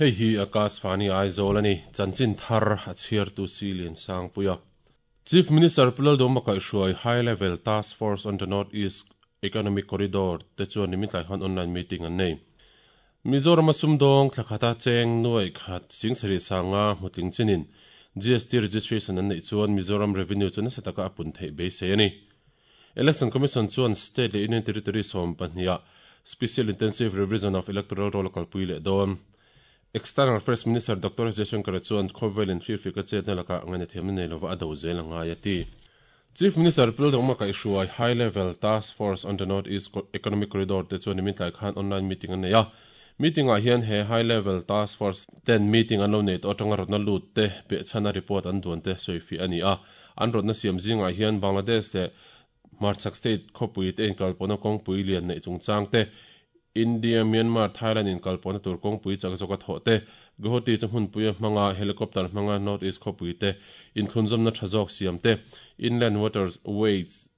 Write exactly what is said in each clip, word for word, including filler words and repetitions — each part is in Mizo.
Hei hi Akashvani Aizawl ani chanchin thar a chhiar tu si lian sang puia. Chief Minister Pu Lalduhoma kaihhruai High Level Task Force on the North East Economic Corridor te chuan nimin tlai khan online meeting an nei. Mizoram a sumdawng thlakhata cheng nuai khat singsarih sanga hmutling chinin G S T registration an neih chuan Mizoram Revenue chu nasa taka a pun theih beisei ani. Election Commission chuan State leh Union Territory sawm pahniha Special Intensive Revision of Electoral Roll kalpui leh dawn. External Affairs Minister Doctor S Jaishankar chuan khawvel in firfika chetna laka ngaina thiamna nei lova a do zel a ngai a ti. Chief Minister Pu Lalduhoma kaihhruai High Level Task Force on the North East Economic Corridor te chuan nimin tlai khan online meeting an nei a. Meeting ah hian he High Level Task Force ten meeting an lo nei tawh atanga rawtna lut te pehchhana report an duan te sawifi a ni a. An rawtna siam zingah hian Bangladesh leh Hmarchhak State khawpui te inkalpawhna kawngpui lian neih chungchang te, India, Myanmar, Thailand inkalpawhna tur kawngpui chak zawka thawh te, Guwahati chu hmunpuia hmanga helicopter hmanga North East khawpui te inthlunzawmna tha zawk siam te, Inland Waters Ways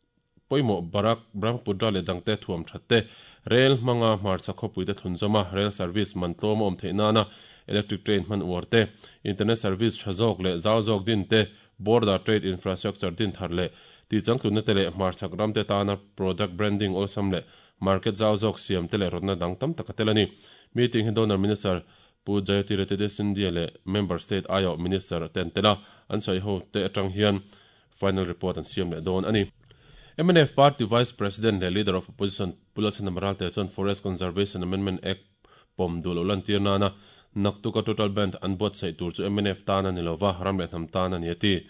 pawimawh Barak, Brahmaputra leh dangte thuam that te, rail hmanga hmarchhak khawpui te thlunzawma rail service man tlawm a awm theih nana electric train hman uar te, internet service tha zawk leh zau zawk din te, border trade infrastructure din thar leh ti changtlunna te leh hmarchhak ram te tana product branding awlsam leh market zau zawk siam te leh rawtna dang tam tak a tel a ni. Meeting hi donor minister Pu Jyotiraditya Scindia leh member state I O minister ten tela an sawi ho te atang hian final report an siam leh dawn a ni. M N F Party Vice President leh Leader of Opposition Pu Lalchhandama Ralte chuan Forest Conservation Amendment Act pawm duh loh lan tir nana naktuka total ban an buatsaih tur chu M N F tan a ni lova ram leh hnam tan a ni a ti.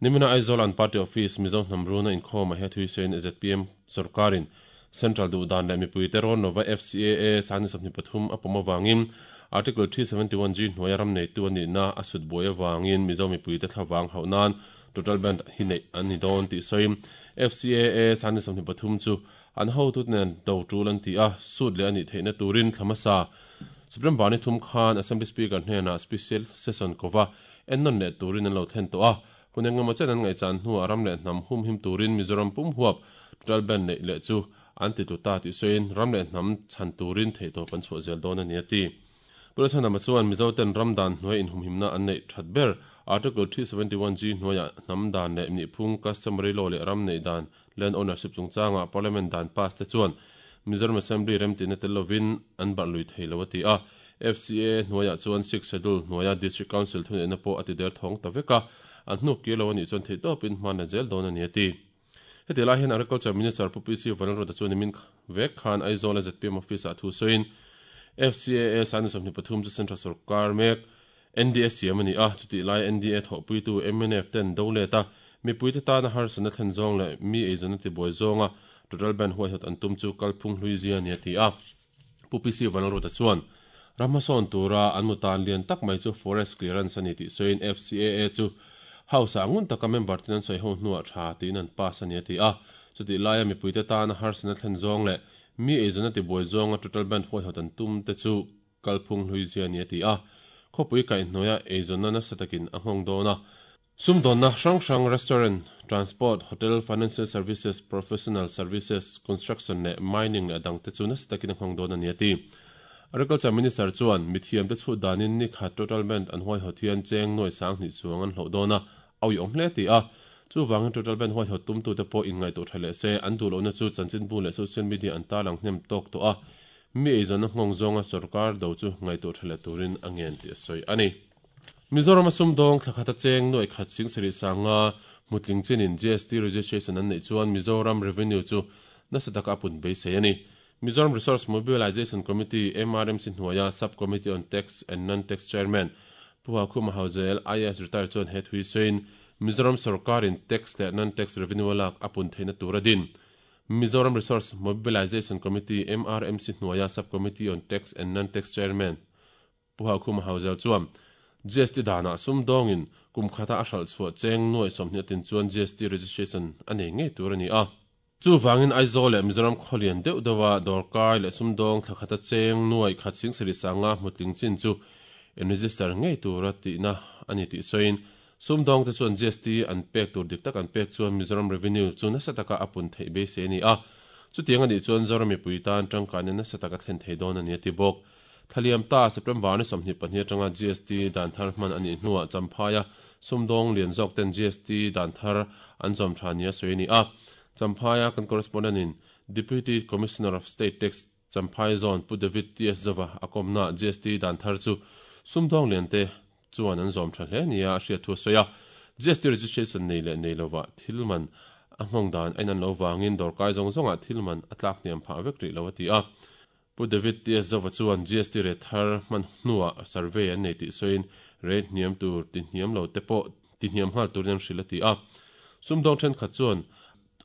Nimina Aizawl an party office Mizo hnamruna inkhawm a he thui sein Z P M sarkarin Central duh dan leh mipui te rawn lova F C A A sangni sawmhnih pathum a pawm awangin Article three seventy-one G hnuaia ram nei tu ani na a sut buai awangin Mizo mipui te thlawang hauh nan total ban hi nei an ni dawn tih sawi F C A A sangni sawmhnih pathum chu an ho tut nen do tul an ti a sut leh ani theihna turin thlamasa Supreme Bani thum khan Assembly Speaker hnena special session kowa ennon leh turin an lo thlen to a hunengemaw chen an ngaih chan hnuah ram leh hnam hum him turin Mizoram pum huap total ban neih leh chu an ti tu ta tih sawiin ram leh hnam chhan turin theih tawp an chhuah zel dawn a ni a ti. Pu Lalchhandama chuan Mizo ten ram dan hnuai inhumhimna an neih that ber Article three seventy-one G hnuaia hnam dan leh nihphung customary law leh ram neih dan land ownership chungchanga Parliament dan pass te chuan Mizoram Assembly remtina tel lovin an barh lui thei lo a ti a. F C A hnuaia chuan six schedule hnuaia District Council thuneihna pawh a ti der thawng ta vek a, an hnuk kir lo ani chuan theih tawpin hman a zel dawn a ni a ti. Heti lai hian Agriculture Minister Pu P C Vanlalruata chuan nimin vek khan Aizawl a Z P M office ah thu sawiin F C A A sangni sawmhnih pathum chu Central Sarkar mek N D A siam a ni a, chutih lai N D A thawhpuitu M N F ten do let a, mipui te tana harsatna thlen zawng leh mi eizawn a ti buai zawnga total ban huaihawt an tum chu kalphung hlui zia a ni a ti a. Pu P C Vanlalruata chuan ramhmasawn tura an mutan lian tak mai chu forest clearance a ni tih sawiin F C A A chu House ah ngun taka member tin an sawi ho hnuah tha tiin an pass a ni a ti a. Chutih laia mipui te tana harsatna thlen zawng leh mi eizawn a ti buai zawnga total ban huaihawt an tum te chu kalphung hlui zia a ni a ti a. Khawpui kaihhnuaia eizawnna nasa takin a nghawng dawn a. Sumdawnna hrang hrang restaurant, transport, hotel, financial services, professional services, construction leh mining leh dang te chu nasa takin a nghawng dawn a ni a ti. Agriculture Minister chuan mithiam te chhut danin ni khat total ban an huaihawt hian cheng nuai sang hnih chuang an hloh dawn a, awi awm hle ti a. Chu wangin total ban huaihawt tum tu te pawh inngaih tawh tha leh se an duh lohna chu chanchin bu leh social media an tarlang hnem tawk tawh a, mi eizawnna nghawng zawnga sarkar do chu ngaih tawh tha leh turin a ngen tih a sawi a ni. Mizoram a sumdawng thlakhata cheng nuai khat singsarih sanga hmutling chinin G S T registration an neih chuan Mizoram Revenue chu nasa taka a pun beisei a ni. Mizoram Resource Mobilization Committee M R M C hnuaia Sub-Committee on Tax and Non-Tax Chairman Pu Hakhuma Hauzel I A S retired chuan he thui sawiin Mizoram sarkarin tax leh non-tax revenue lak a pun theihna tur a din. Mizoram Resource Mobilization Committee M R M C hnuaia Sub-Committee on Tax and Non-Tax Chairman Pu Hakhuma Hauzel chuan G S T dana sumdawngin kum khata a hral chhuah cheng nuai sawmhnih atin chuan G S T registration a nei ngei tur a ni a. Chu wangin Aizawl leh Mizoram khawlian deuh deuha dawrkai leh sumdawng thlakhata cheng nuai khat singsarih sanga hmutling chin chu in register ngei tura tihna a ni tih sawiin sumdawng te chuan G S T an pek tur dik tak an pek chuan Mizoram Revenue chu nasa taka a pun theih beisei a ni a. Chutiang ani chuan Zoram mipui tan tangkaina nasa taka thlen thei dawn a ni a ti bawk. Thaliam ta September ni sawmhnih pahnih atanga G S T dan thar hman ani hnuah Champhaia sumdawng lian zawk ten G S T dan thar an zawm tha nia sawi ni a. Champhaia kan correspondent in Deputy Commissioner of State Tax, Champhai Zone, Pu David T S Zova akomna G S T dan thar chu sumdawng lian te chuan an zawm tha hle nia a hriat thu sawi a. G S T registration nei leh nei lova thilman a nghawng dan ainan lo wangin dawrkai zawng zawnga thilman a tlak hniam phah vek rih lo a ti a. Pu David T S Zova chuan G S T rate thar hman hnuah survey an nei tih sawiin rate hniam tur ti hniam lo te pawh ti hniam nghal turin an hrilh a ti a. Sumdawng thenkhat chuan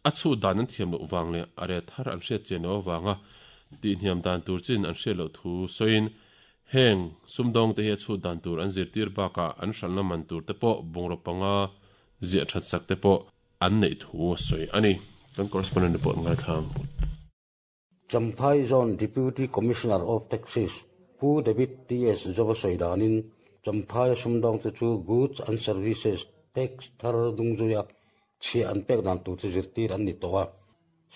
a chhu dan an thiam loh wang leh a rate thar an hriat chian lo awanga ti hniam dan tur chin an hriat loh thu sawiin heng sumdawng te hi a chhut dan tur an zirtir bakah an hralhna man tur te pawh bungraw panga ziah that sak te pawh an neih thu a sawi ani. Kan correspondent report ngai thlang. Champhai Zone Deputy Commissioner of Taxes Pu David T S. Zova sawidanin Champhai sumdawng te chu Goods and Services Tax thar dungzuia chhia an pek dan tur chu zirtir an ni tawh a.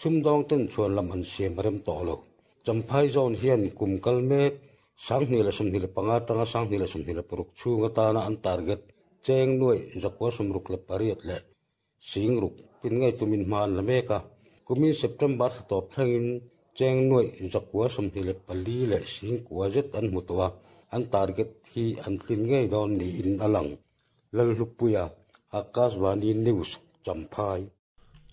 Sumdawng ten chuan lam an siam rem tawh lo. Champhai Zone hian kum kal mek sanghnih leh sawmhnih leh panga tanga sanghnih leh sawmhnih leh paruk chhung atana an target cheng nuai zakua sawmruk leh pariat leh singruk tin ngei tumin hma an la mek a. Kumin September tawp thlengin cheng nuai zakua sawmhnih leh pali leh singkua zet an hmu tawh a. An target hi an tlin ngei dawn niin a lang. Lalhlupuia, Akashvani News, Champhai.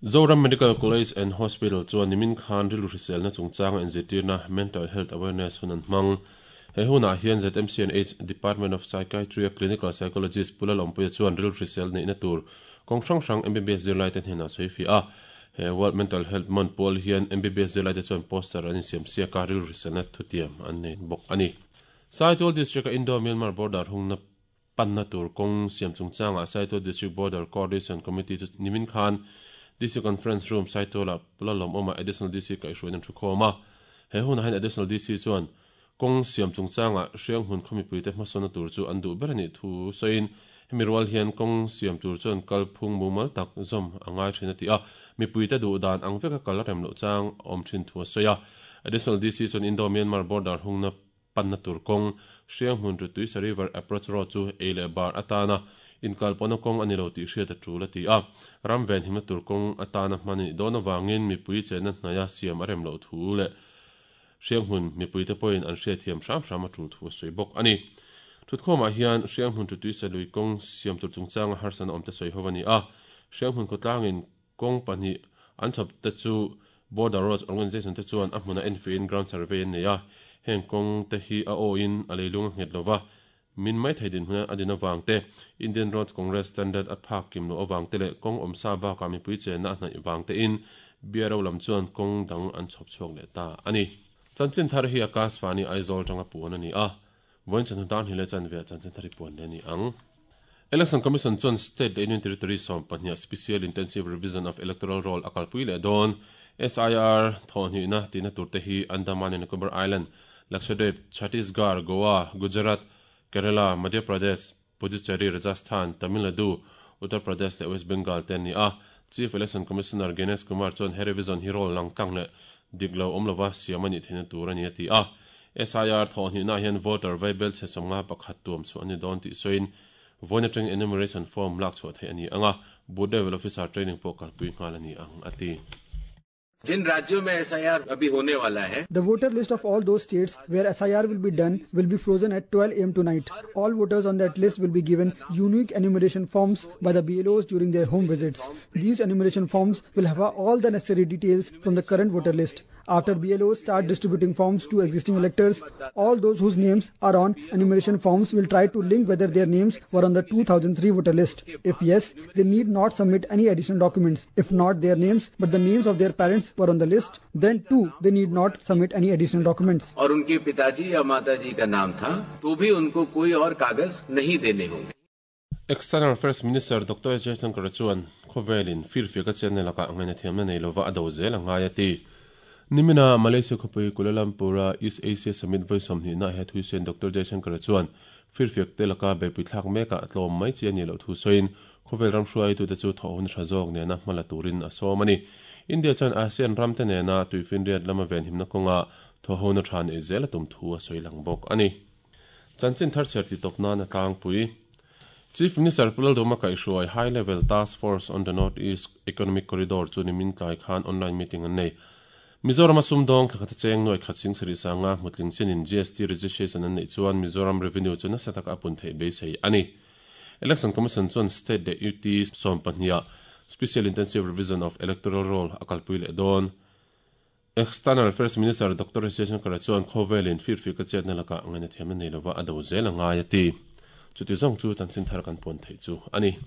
Zoram Medical College and Hospital chuan nimin khan rilu hriselna chungchanga inzirtirna Mental Health Awareness hun an hmang. He hunah hian Z M C and H Department of Psychiatry Clinical Psychologist Pu Lalawmpuia chuan rilu hrisel neihna tur kawng hrang hrang M B B S zirlai te hnenah sawi fi a. He World Mental Health Month pawl hian M B B S zirlai te chuan poster an insiam siaka rilu hriselna thutiam an nei bawk ani. Saitual District a Indo Myanmar border hungna panna tur kawng siam chungchanga Saitual District Border Coordination Committee chu nimin khan D C Conference Room, Saituala Pu Lalawmawma, Additional D C kaihhruaiin an thu khawm a. He hunah hian Additional D C chuan kawng siam chungchanga Hrianghmun khawmipui te hmasawna tur chu an duh ber ani thu sawiin hemi rual hian kawng siam tur chuan kalphung mumal tak zawm a ngai thin a ti a. Mipui te duh dan ang veka kal rem loh chang awm thin thu a sawi a. Additional D C chuan Indo Myanmar border hungna panna tur kawng Hrianghmun to Tuisa River Approach Road chu ei leh bar atana inkalpawhna kawng ani lo tih hriat a tul a ti a. Ram ven himna tur kawng atana hmani dawn awangin mipui chenna hnaia siam a rem loh thu leh Hrianghmun mipui te pawhin an hriat thiam hram hram a tul thu a sawi bawk ani. Thutkhawmah hian Hrianghmun to Tuisa lui kawng siam tur chungchanga harsatna awm te sawi ho ani a. Hrianghmun khawtlangin kawng pahnih an chhawp te chu Border Roads Organization te chuan a hmuna enfiin ground survey an nei a. Heng kawng te hi a awin a leilung a nghet lova min mai thei din huna a din awang te, Indian Roads Congress standard a phak kim lo awang te leh kawng awmsa bakah mipui chenna a hnaih wang te in B R O lam chuan kawng dang an chhawp chhuak leh ta ani. Chanchin thar hi Akashvani Aizawl tanga puan ani a. Voin chan dan hile chan ve chanchin thari puan le ni ang. Election Commission chuan state leh union territory sawm pahnih Special Intensive Revision of Electoral Roll akalpui leh dawn. S I R thawhhnihna tina turte hi Andaman and Nicobar Island, Lakshadweep, Chhattisgarh, Goa, Gujarat, Kerala, Madhya Pradesh, Puducherry, Rajasthan, Tamil Nadu, Uttar Pradesh leh West Bengal te ni a. Chief Election Commissioner Gyanesh Kumar chuan he revision hi roll lang tlang leh diklo awm lova siam ani theihna tur ani a ti a. S I R thawhhnihna hian voter vaibel chhe sawmnga pakhat tuam chu ani dawn tih sawiin voin atang enumeration form lak chhuah theih ani anga, booth level officer training pawh kalpui nghal ani ang a ti. जिन राज्यों में S I R अभी होने वाला है, The voter list of all those states where S I R will be done will be frozen at twelve a m tonight. All voters on that list will be given unique enumeration forms by the B L Os during their home visits. These enumeration forms will have all the necessary details from the current voter list. After B L Os start distributing forms to existing electors, all those whose names are on enumeration forms will try to link whether their names were on the two thousand three voter list. If yes, they need not submit any additional documents. If not their names, but the names of their parents were on the list, then too they need not submit any additional documents. और उनके पिताजी या माताजी का नाम था तो भी उनको कोई और कागज नहीं देने होंगे। External Affairs Minister Doctor Jaishankar chuan khawvelin firfiak a chenna laka angaina thiamna nei lova a do zel angai a ti. Nimina Malaysia khawpui Kuala Lumpur a East Asia Summit voi sawmhnih na he thuisen Doctor Jaishankar chuan firfiak te laka beipui thlak meka tlawm mai chi ani lo thu sawiin khawvel ram hruai tu te chu thawhun tha zawk nena hmala turin a sawm ani. India chuan ASEAN ram te nena tuifinriat lama ven himna kawnga thawhhona tha nei zel a tum thu a sawi lang bawk a ni. Chanchin thar chhiar ti tawp nan a tlangpui. Chief Minister Pu Lalduhoma kaihhruai High Level Task Force on the North East Economic Corridor chu nimin tlai khan online meeting an nei. Mizoram a sumdawng thlakhat a cheng nuai khat sing sarih sanga hmutling chinin G S T registration an neih chuan Mizoram revenue chu nasa taka a pun theih beisei a ni. Election Commission chuan state leh U T sawm pahniha Special Intensive Revision of Electoral Roll a kalpui leh dawn. External Affairs Minister Doctor Jaishankar chuan khawvelin firfir ka chetna lakah ngaina thiamna nei lova a do zel a ngai a ti. Chuti zawng chu chanchin thar kan pawn theih chu a ni.